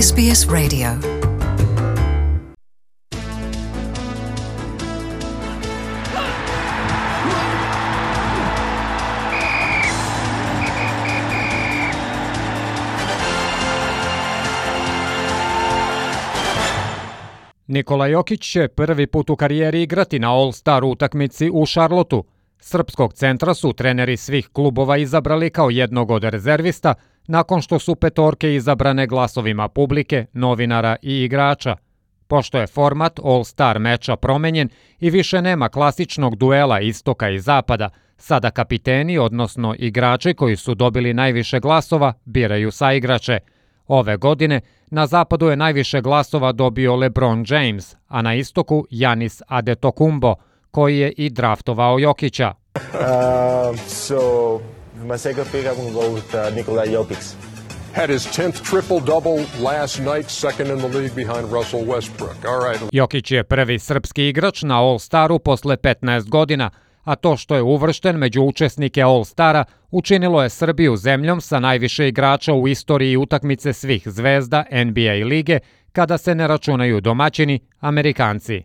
SBS Radio. Nikola Jokić će prvi put u karijeri igrati na All-Star utakmici u Charlotteu. Srpskog centra su treneri svih klubova izabrali kao jednog od rezervista, nakon što su petorke izabrane glasovima publike, novinara i igrača. Pošto je format All-Star meča promenjen i više nema klasičnog duela istoka i zapada, sada kapiteni, odnosno igrači koji su dobili najviše glasova, biraju saigrače. Ove godine na zapadu je najviše glasova dobio LeBron James, a na istoku Giannis Antetokounmpo, koji je i draftovao Jokića. My second pick, I'm going to go with Nikola Jokić. Had his 10th triple-double last night, second in the league behind Russell Westbrook. All right. Jokić je prvi srpski igrač na All-Staru posle 15 godina, a to što je uvršten među učesnike All-Stara učinilo je Srbiju zemljom sa najviše igrača u istoriji utakmice svih zvezda NBA lige, kada se ne računaju domaćini, Amerikanci.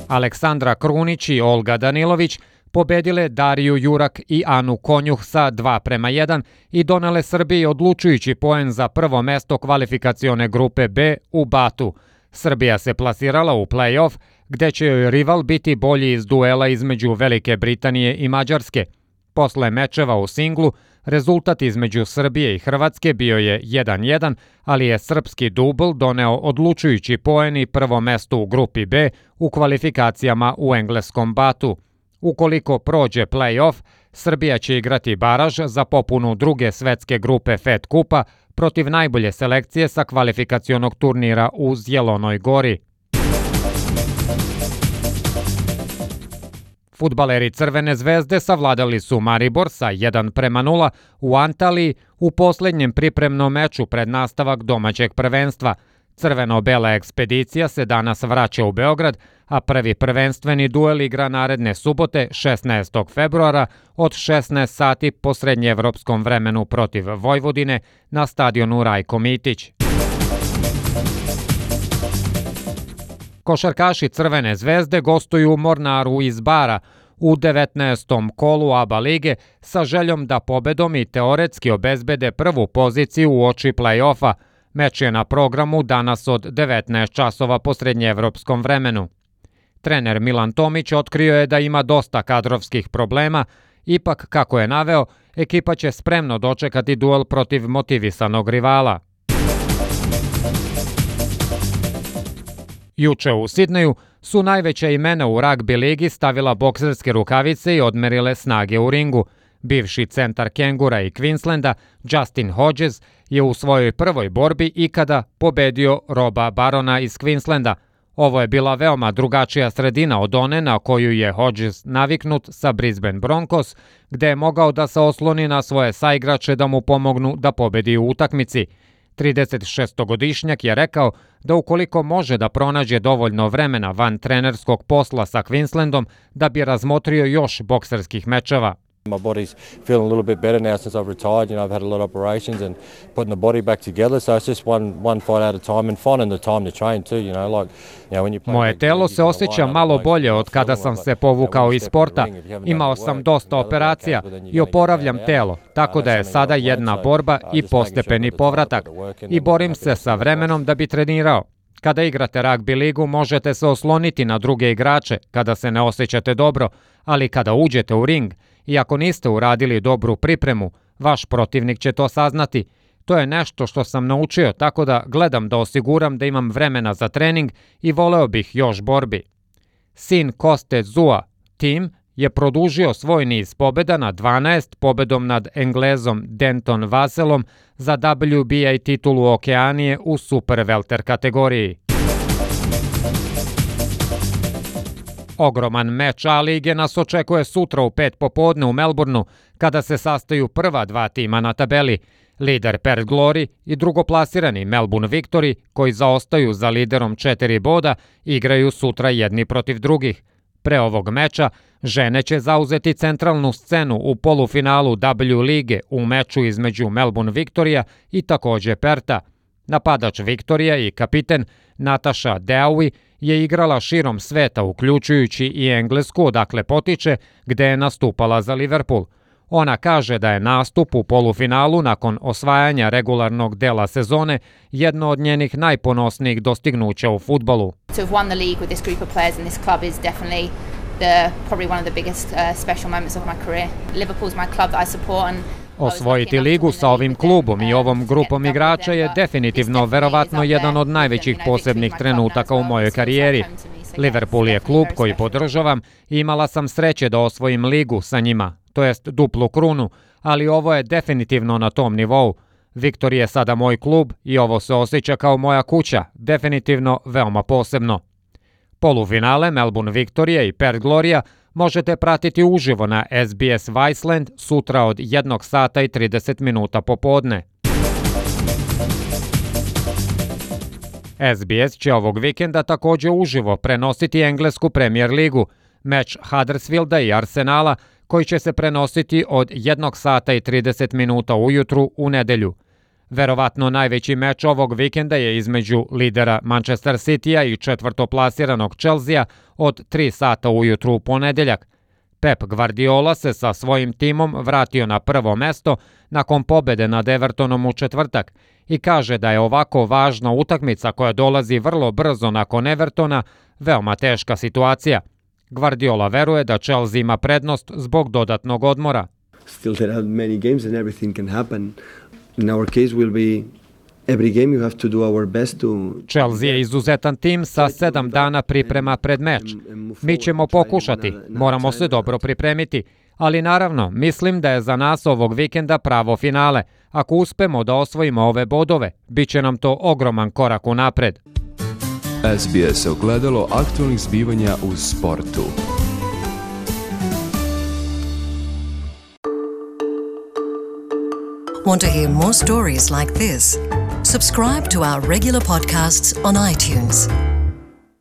Aleksandra Krunić i Olga Danilović pobedile Dariju Jurak i Anu Konjuh sa 2:1 i donele Srbiji odlučujući poen za prvo mesto kvalifikacione grupe B u Batu. Srbija se plasirala u play-off, gde će joj rival biti bolji iz duela između Velike Britanije i Mađarske. Posle mečeva u singlu, rezultat između Srbije i Hrvatske bio je 1:1, ali je srpski dubl doneo odlučujući poen i prvo mesto u grupi B u kvalifikacijama u engleskom Batu. Ukoliko prođe play-off, Srbija će igrati baraž za popunu druge svetske grupe Fed kupa protiv najbolje selekcije sa kvalifikacionog turnira u Zjelonoj Gori. Fudbaleri Crvene zvezde savladali su Maribor sa 1:0 u Antaliji u posljednjem pripremnom meču pred nastavak domaćeg prvenstva. Crveno-bela ekspedicija se danas vraća u Beograd, a prvi prvenstveni duel igra naredne subote 16. februara od 16 sati po srednjeevropskom vremenu protiv Vojvodine na stadionu Rajko Mitić. Košarkaši Crvene zvezde gostuju u Mornaru iz Bara u 19. kolu ABA lige sa željom da pobedom i teoretski obezbede prvu poziciju u oči play-offa. Meč je na programu danas od 19 časova po srednjeevropskom vremenu. Trener Milan Tomić otkrio je da ima dosta kadrovskih problema, ipak, kako je naveo, ekipa će spremno dočekati duel protiv motivisanog rivala. Juče u Sidneju su najveća imena u ragbi ligi stavila bokserske rukavice i odmerile snage u ringu. Bivši centar Kengura i Queenslanda, Justin Hodges, je u svojoj prvoj borbi ikada pobedio Roba Barona iz Queenslanda. Ovo je bila veoma drugačija sredina od one na koju je Hodges naviknut sa Brisbane Broncos, gde je mogao da se osloni na svoje saigrače da mu pomognu da pobedi u utakmici. 36-godišnjak je rekao da ukoliko može da pronađe dovoljno vremena van trenerskog posla sa Queenslandom, da bi razmotrio još bokserskih mečeva. My body's feeling a little bit better now since I've retired. You know, I've had a lot of operations and putting the body back together. So it's just one fight at a time and finding the time to train too. You know, like when you play. Moje telo se osjeća malo bolje od kada sam se povukao iz sporta. Imao sam dosta operacija i oporavljam telo, tako da je sada jedna borba i postepeni povratak. I borim se sa vremenom da bi trenirao. Kada igrate ragbi ligu možete se osloniti na druge igrače kada se ne osjećate dobro, ali kada uđete u ring i ako niste uradili dobru pripremu, vaš protivnik će to saznati. To je nešto što sam naučio, tako da gledam da osiguram da imam vremena za trening i voleo bih još borbi. Sin Koste Zua, Tim, je produžio svoj niz pobjeda na 12 pobedom nad Englezom Denton Vaselom za WBA titulu Okeanije u super welter kategoriji. Ogroman meč A lige nas očekuje sutra u 5 popodne u Melbourneu, kada se sastaju prva dva tima na tabeli. Lider Perth Glory i drugoplasirani Melbourne Victory, koji zaostaju za liderom 4 boda, igraju sutra jedni protiv drugih. Pre ovog meča, žene će zauzeti centralnu scenu u polufinalu W lige u meču između Melbourne Victoria i takođe Perta. Napadač Viktorija i kapiten Natasha Deaui je igrala širom sveta, uključujući i Englesku, odakle potiče, gde je nastupala za Liverpool. Ona kaže da je nastup u polufinalu nakon osvajanja regularnog dela sezone jedno od njenih najponosnijih dostignuća u fudbalu. To have won the league with this group of players in this club is definitely probably one of the biggest special moments of my career. Liverpool's my club that I support and osvojiti ligu sa ovim klubom i ovom grupom igrača je definitivno verovatno jedan od najvećih posebnih trenutaka u mojoj karijeri. Liverpool je klub koji podržavam i imala sam sreće da osvojim ligu sa njima, to jest duplu krunu, ali ovo je definitivno na tom nivou. Viktor je sada moj klub i ovo se osjeća kao moja kuća, definitivno veoma posebno. Polufinale Melbourne Victoria i Perth Gloria možete pratiti uživo na SBS Viceland sutra od 1 sata i 30 minuta popodne. SBS će ovog vikenda takođe uživo prenositi englesku Premier ligu, meč Huddersfielda i Arsenala koji će se prenositi od 1 sata i 30 minuta ujutru u nedelju. Verovatno najveći meč ovog vikenda je između lidera Manchester Citya i četvrtoplasiranog Chelsea od 3 sata ujutru u ponedeljak. Pep Guardiola se sa svojim timom vratio na prvo mesto nakon pobede nad Evertonom u četvrtak i kaže da je ovako važna utakmica koja dolazi vrlo brzo nakon Evertona veoma teška situacija. Guardiola veruje da Chelsea ima prednost zbog dodatnog odmora. Still there are many games and everything can happen. In our case will be every game you have to do our best to... Chelsea je izuzetan tim sa 7 dana priprema pred meč. Mi ćemo pokušati, moramo se dobro pripremiti, ali naravno mislim da je za nas ovog vikenda pravo finale. Ako uspemo da osvojimo ove bodove, bit će nam to ogroman korak unapred. SBS ogledalo aktualnih zbivanja u sportu. Want to hear more stories like this? Subscribe to our regular podcasts on iTunes.